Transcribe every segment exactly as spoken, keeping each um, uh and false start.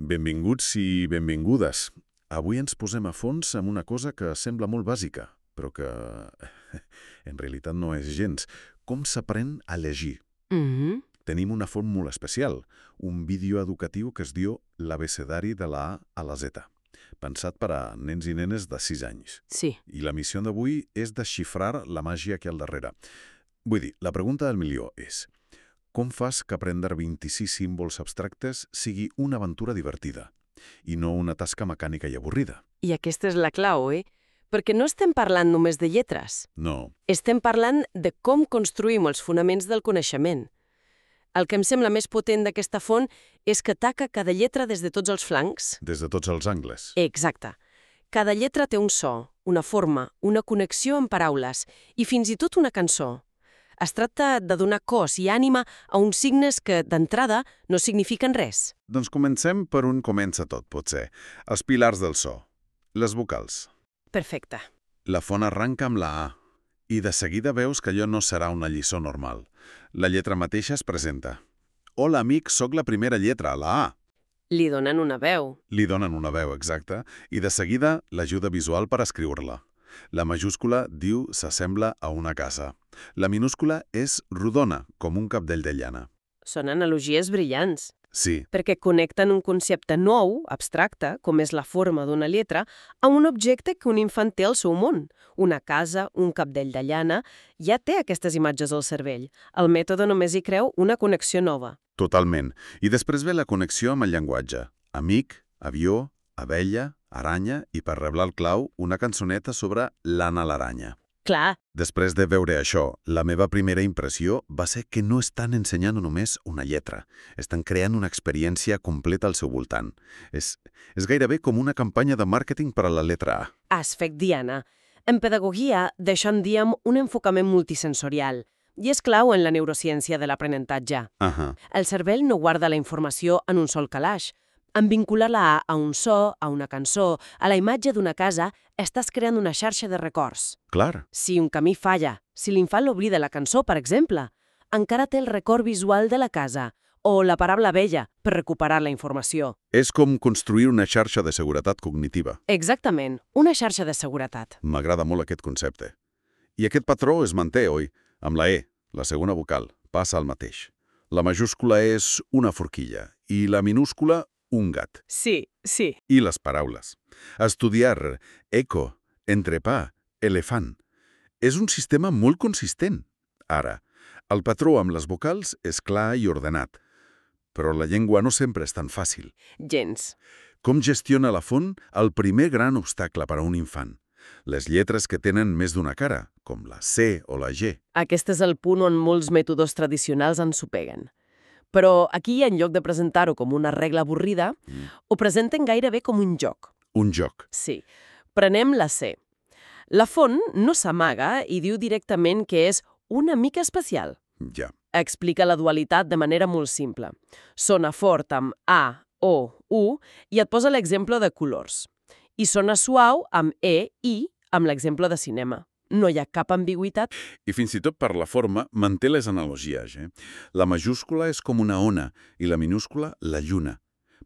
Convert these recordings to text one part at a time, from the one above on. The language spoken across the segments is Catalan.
Benvinguts i benvingudes. Avui ens posem a fons amb una cosa que sembla molt bàsica, però que en realitat no és gens. Com s'aprèn a llegir? Mhm. Tenim una font molt especial, un vídeo educatiu que es diu l'abecedari de la A a la Z, pensat per a nens i nenes de sis anys. Sí. I la missió d'avui és desxifrar la màgia que hi ha al darrere. Vull dir, la pregunta del milió és: com fas que aprendre vint-i-sis símbols abstractes sigui una aventura divertida i no una tasca mecànica i avorrida? I aquesta és la clau, eh? Perquè no estem parlant només de lletres. No. Estem parlant de com construïm els fonaments del coneixement. El que em sembla més potent d'aquesta font és que ataca cada lletra des de tots els flancs. Des de tots els angles. Exacte. Cada lletra té un so, una forma, una connexió amb paraules i fins i tot una cançó. Es tracta de donar cos i ànima a uns signes que, d'entrada, no signifiquen res. Doncs comencem per on comença tot, potser. Els pilars del so. Les vocals. Perfecte. La font arranca amb la A, i de seguida veus que allò no serà una lliçó normal. La lletra mateixa es presenta. Hola, amic, sóc la primera lletra, la A. Li donen una veu. Li donen una veu, exacta, i de seguida l'ajuda visual per escriure-la. La majúscula diu s'assembla a una casa. La minúscula és rodona, com un capdell de llana. Són analogies brillants. Sí, Perquè connecten un concepte nou, abstracte, com és la forma d'una lletra, a un objecte que un infant té al seu món. Una casa, un capdell de llana, ja té aquestes imatges al cervell. El mètode només hi creu una connexió nova. totalment. I després ve la connexió amb el llenguatge. Amic, avió, abella, aranya i, per reblar el clau, una cançoneta sobre l'Anna l'aranya. Clar, Després de veure això, la meva primera impressió va ser que no estan ensenyant només una lletra. Estan creant una experiència completa al seu voltant. És, és gairebé com una campanya de màrqueting per a la letra A. has fet diana. En pedagogia, d'això en diem un enfocament multisensorial, i és clau en la neurociència de l'aprenentatge. Ahà. El cervell no guarda la informació en un sol calaix. En vincular-la a un so, a una cançó, a la imatge d'una casa, estàs creant una xarxa de records. Clar. Si un camí falla, si l'infant l'oblida la cançó, per exemple, encara té el record visual de la casa o la paraula vella per recuperar la informació. És com construir una xarxa de seguretat cognitiva. Exactament, una xarxa de seguretat. M'agrada molt aquest concepte. I aquest patró es manté, oi? Amb la E, la segona vocal, passa el mateix. La majúscula és una forquilla i la minúscula un gat. Sí, sí. I les paraules. Estudiar, eco, entrepà, elefant. És un sistema molt consistent. Ara, el patró amb les vocals és clar i ordenat. Però la llengua no sempre és tan fàcil. Gens. Com gestiona la font el primer gran obstacle per a un infant? Les lletres que tenen més d'una cara, com la C o la G. Aquest és el punt on molts mètodes tradicionals ensopeguen. Però aquí, en lloc de presentar-ho com una regla avorrida, Mm. ho presenten gairebé com un joc. Un joc. Sí. Prenem la C. La font no s'amaga i diu directament que és una mica especial. Ja. Explica la dualitat de manera molt simple. Sona fort amb A, O, U i et posa l'exemple de colors. I sona suau amb E, I, amb l'exemple de cinema. No hi ha cap ambigüitat. I fins i tot per la forma manté les analogies. Eh? La majúscula és com una ona i la minúscula la lluna.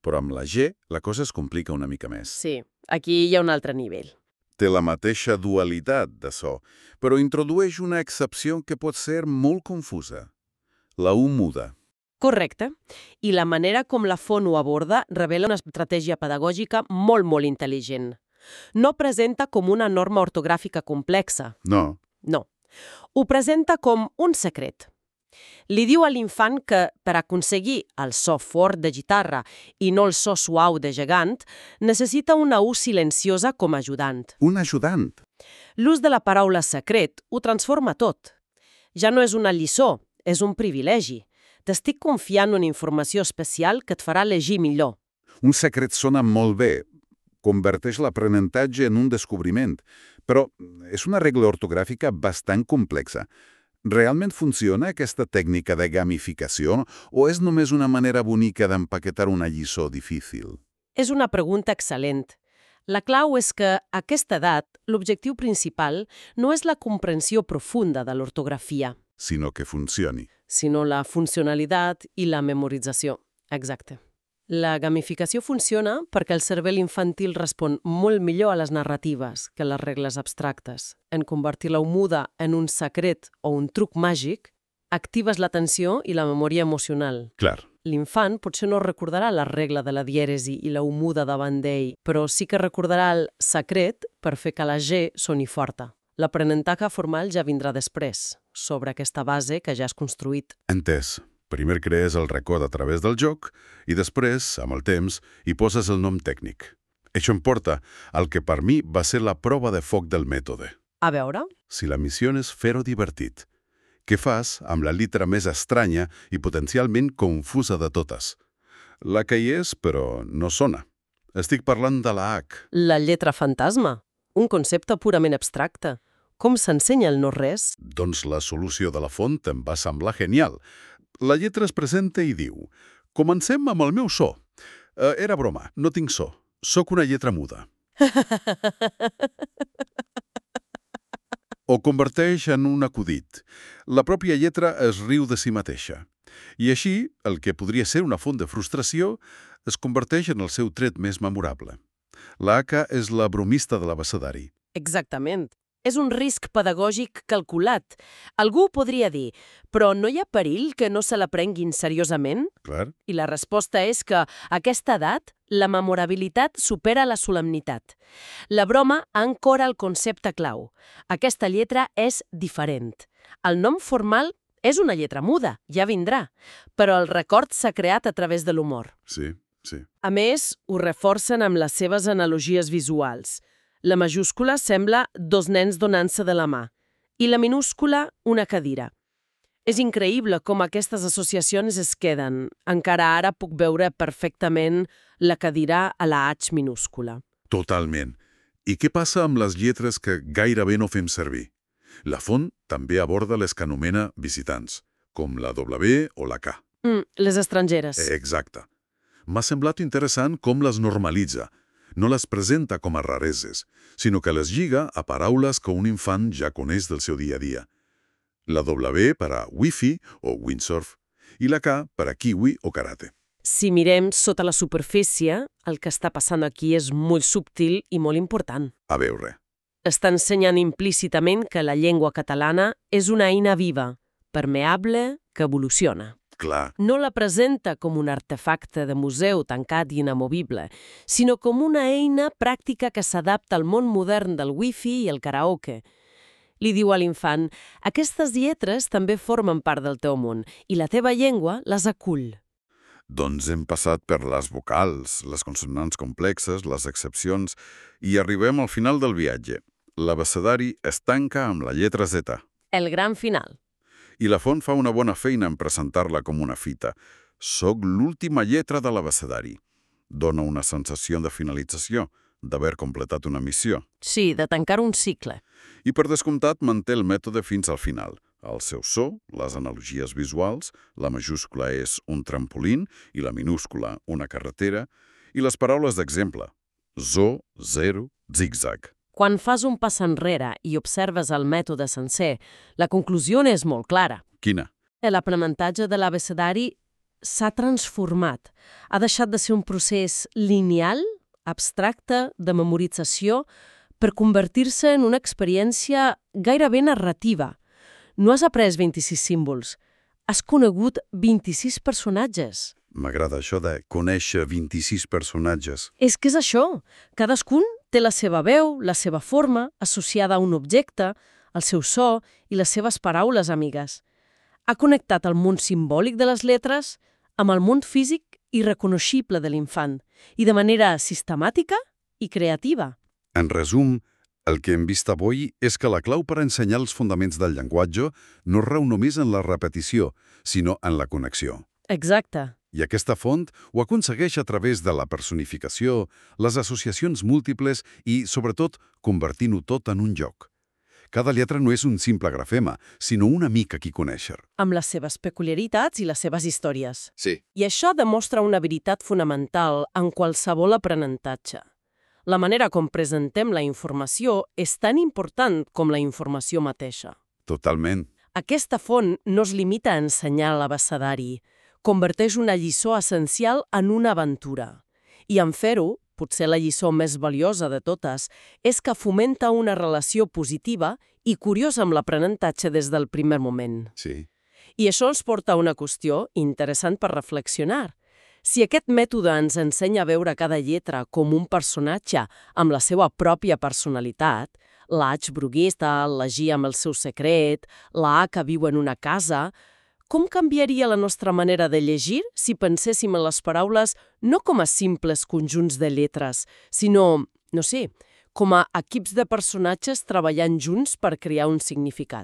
Però amb la G la cosa es complica una mica més. Sí, aquí hi ha un altre nivell. Té la mateixa dualitat de so, però introdueix una excepció que pot ser molt confusa. La U muda. Correcte. I la manera com la font ho aborda revela una estratègia pedagògica molt, molt intel·ligent. No presenta com una norma ortogràfica complexa. No. No. Ho presenta com un secret. Li diu a l'infant que, per aconseguir el so fort de guitarra i no el so suau de gegant, necessita una U silenciosa com a ajudant. Un ajudant. L'ús de la paraula secret ho transforma tot. Ja no és una lliçó, és un privilegi. T'estic confiant una informació especial que et farà llegir millor. Un secret sona molt bé. Converteix l'aprenentatge en un descobriment. Però és una regla ortogràfica bastant complexa. Realment funciona aquesta tècnica de gamificació o és només una manera bonica d'empaquetar una lliçó difícil? És una pregunta excel·lent. La clau és que, a aquesta edat, l'objectiu principal no és la comprensió profunda de l'ortografia, Sinó que funcioni. sinó la funcionalitat i la memorització. Exacte. La gamificació funciona perquè el cervell infantil respon molt millor a les narratives que a les regles abstractes. En convertir la muda en un secret o un truc màgic, actives l'atenció i la memòria emocional. Clar. L'infant potser no recordarà la regla de la dièresi i la muda davant d'ell, però sí que recordarà el secret per fer que la G soni forta. L'aprenentatge formal ja vindrà després, sobre aquesta base que ja has construït. Entès. Primer crees el record a través del joc i després, amb el temps, hi poses el nom tècnic. Això em porta al que per mi va ser la prova de foc del mètode. A veure? Si la missió és fer-ho divertit, què fas amb la lletra més estranya i potencialment confusa de totes? La que hi és, però no sona. Estic parlant de la H. La lletra fantasma, un concepte purament abstracte. Com s'ensenya el no-res? Doncs la solució de la font em va semblar genial. La lletra es presenta i diu: comencem amb el meu so. Eh, era broma, no tinc so. Soc una lletra muda. O converteix en un acudit. La pròpia lletra es riu de si mateixa. I així, el que podria ser una font de frustració es converteix en el seu tret més memorable. La H és la bromista de l'abecedari. Exactament. És un risc pedagògic calculat. Algú podria dir, però no hi ha perill que no se l'aprenguin seriosament? Clar. I la resposta és que, a aquesta edat, la memorabilitat supera la solemnitat. La broma ancora el concepte clau. Aquesta lletra és diferent. El nom formal és una lletra muda, ja vindrà, però el record s'ha creat a través de l'humor. Sí, sí. A més, ho reforcen amb les seves analogies visuals. La majúscula sembla dos nens donant-se de la mà i la minúscula una cadira. És increïble com aquestes associacions es queden. Encara ara puc veure perfectament la cadira a la H minúscula. Totalment. I què passa amb les lletres que gairebé no fem servir? La font també aborda les que anomena visitants, com la W o la K. Mm, les estrangeres. Exacte. M'ha semblat interessant com les normalitza. No les presenta com a rareses, sinó que les lliga a paraules que un infant ja coneix del seu dia a dia. La W per a Wi-Fi o windsurf i la K per a kiwi o karate. Si mirem sota la superfície, el que està passant aquí és molt subtil i molt important. A veure. Està ensenyant implícitament que la llengua catalana és una eina viva, permeable, que evoluciona. Clar. No la presenta com un artefacte de museu tancat i inamovible, sinó com una eina pràctica que s'adapta al món modern del wifi i el karaoke. Li diu a l'infant, aquestes lletres també formen part del teu món i la teva llengua les acull. Doncs hem passat per les vocals, les consonants complexes, les excepcions, i arribem al final del viatge. L'abecedari es tanca amb la lletra Z. El gran final. I la font fa una bona feina en presentar-la com una fita. Soc l'última lletra de l'abecedari. Dóna una sensació de finalització, d'haver completat una missió. Sí, de tancar un cicle. I per descomptat manté el mètode fins al final. El seu so, les analogies visuals, la majúscula és un trampolín i la minúscula una carretera, i les paraules d'exemple. Zo, zero, zigzag. Quan fas un pas enrere i observes el mètode sencer, la conclusió és molt clara. Quina? L'aprenentatge de l'abecedari s'ha transformat. Ha deixat de ser un procés lineal, abstracte, de memorització, per convertir-se en una experiència gairebé narrativa. No has après vint-i-sis símbols, has conegut vint-i-sis personatges. M'agrada això de conèixer vint-i-sis personatges. És que és això. Cadascun té la seva veu, la seva forma, associada a un objecte, el seu so i les seves paraules amigues. Ha connectat el món simbòlic de les lletres amb el món físic i reconeixible de l'infant, i de manera sistemàtica i creativa. En resum, el que hem vist avui és que la clau per ensenyar els fonaments del llenguatge no rau només en la repetició, sinó en la connexió. Exacte. I aquesta font ho aconsegueix a través de la personificació, les associacions múltiples i, sobretot, convertint-ho tot en un joc. Cada lletra no és un simple grafema, sinó un amic a qui conèixer. Amb les seves peculiaritats i les seves històries. Sí. I això demostra una veritat fonamental en qualsevol aprenentatge. La manera com presentem la informació és tan important com la informació mateixa. Totalment. Aquesta font no es limita a ensenyar l'abecedari. converteix una lliçó essencial en una aventura. I en fer-ho, potser la lliçó més valiosa de totes, és que fomenta una relació positiva i curiosa amb l'aprenentatge des del primer moment. Sí. I això ens porta a una qüestió interessant per reflexionar. Si aquest mètode ens ensenya a veure cada lletra com un personatge amb la seva pròpia personalitat, la H bruguista, la G amb el seu secret, la A que viu en una casa, com canviaria la nostra manera de llegir si penséssim en les paraules no com a simples conjunts de lletres, sinó, no sé, com a equips de personatges treballant junts per crear un significat?